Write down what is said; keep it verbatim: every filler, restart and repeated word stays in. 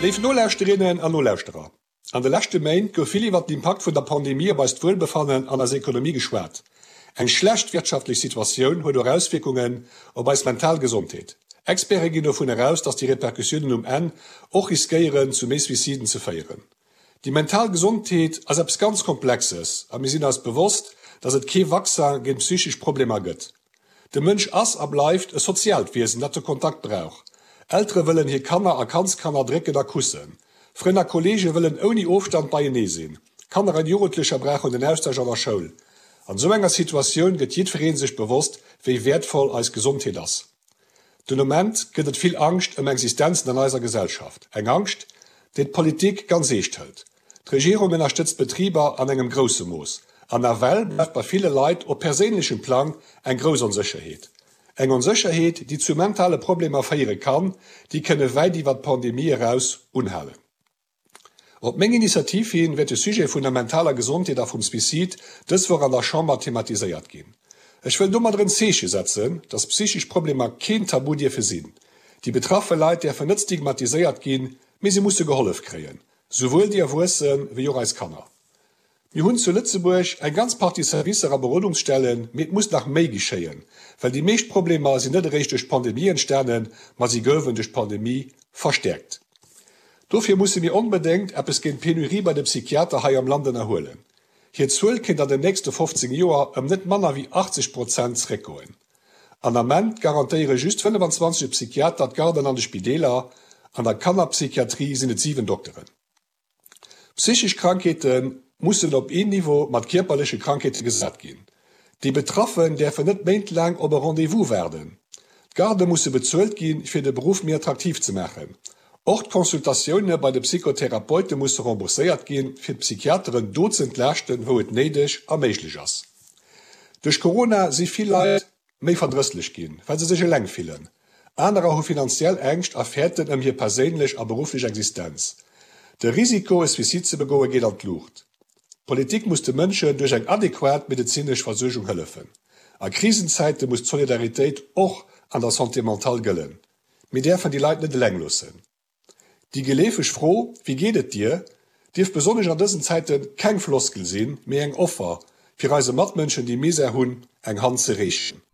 Léif Nolauschterinnen an Nolauschterer, an de leschte Méint gouf vill iwwert den Impakt vun der Pandemie op eist Wuelbefannen an eis Ekonomie geschwat. Eng schlecht wirtschaftlech Situatioun huet och Auswierkungen op eis mental Gesondheet. Experte ginn dovun aus, datt déi Repercussiounen um Enn och riskéieren, zu méi Suiciden ze féieren. Déi mental Gesondheet ass eppes ganz Komplexes a mir sinn eis bewosst, datt et kee Vaccin géint psychesch Problemer gëtt. De Mënsch ass a bleift e soziaalt Wiesen, dat de Kontakt brauch. Eltere wëllen hir Kanner a Kandskanner drécken a kussen. Frënn a Kolleege wëllen ouni Ofstand beienee sinn. Kanner an Jugendlecher brauchen den Austausch an der Schoul. An esou enger Situatioun gëtt jiddweree sech bewosst, wéi wäertvoll eis Gesondheet ass. Den Moment gëtt et vill Angscht ëm Existenzen an eiser Gesellschaft. Eng Angscht, déi d'Politik ganz eescht hëlt. D'Regierung ënnerstëtzt d'Betriber an engem grousse Mooss. An nawell bleift bei ville Leit op perséinlechem Plang eng grouss Onsécherheet. Eng Onsécherheet, déi zu mentale Problemer féiere kann, déi kënne wäit iwwer d'Pandemie eraus unhalen. Op meng Initiativ hin wäert de Sujet vun der mentaler Gesondheet a vum Suicide dës Woch an der Chamber thematiséiert ginn. Ech wëll domadder en Zeeche setzen, datt psychesch Problemer keen Tabu dierfe sinn. Déi betraffe Leit däerfen net stigmatiséiert ginn, mee si musse gehollef kréien, souwuel déi Erwuesse wéi och eis Kanner. Mir hunn zu Lëtzebuerg eng ganz Partie Servicer a Berodungsstellen, mee et muss nach méi geschéien, well déi meescht Problemer sinn net eréischt duerch d'Pandemie entstanen, ma si goufen duerch d'Pandemie verstäerkt. Dofir musse mir onbedéngt eppes géint d'Penurie bei de Psychiater hei am Land ënnerhuelen. Hir Zuel kéint an den nächste fofzéng Joer ëm net manner wéi achtzeg Prozent zeréckgoen. An Ament garantéiere just fënnefenzwanzeg Psychiater d'Garden an de Spideeler, an der Kannerpsychiatrie sinn et siwen Dokteren. Psychesch Krankheete mussen op een Niveau mat kierperleche Krankheete gesat ginn. Déi Betraffen däerfen net méintlaang op e Rendez-vous waarden. D'Gardë musse bezuelt ginn, fir de Beruff méi attraktiv ze maachen. Och d'Consultatioune bei de Psychotherapeute musse rembourséiert ginn, fir d'Psychiateren do z'entlaaschten, wou et néideg a méiglech ass. Duerch Corona si vill Leit méi verdrësslech ginn, well se sech eleng fillen. Anerer hu finanziell Ängscht a fäerten ëm hir perséinlech a berufflech Existenz. De Risiko, e Suicide ze begoen, geet an d'Luucht. D'Politik muss de Mënschen duerch eng adequat medezinesch Versuergung hëllefen. A Krisenzäite muss d'Solidaritéit och an der Santé mentale gëllen. Mir däerfen déi Leit net eleng loossen. Déi geleefeg Fro Wéi geet et dir? dierf besonnesch an dësen Zäite keng Floskel sinn, mee eng Offer, fir eise Matmënschen, déi Misär hunn, eng Hand ze reechen.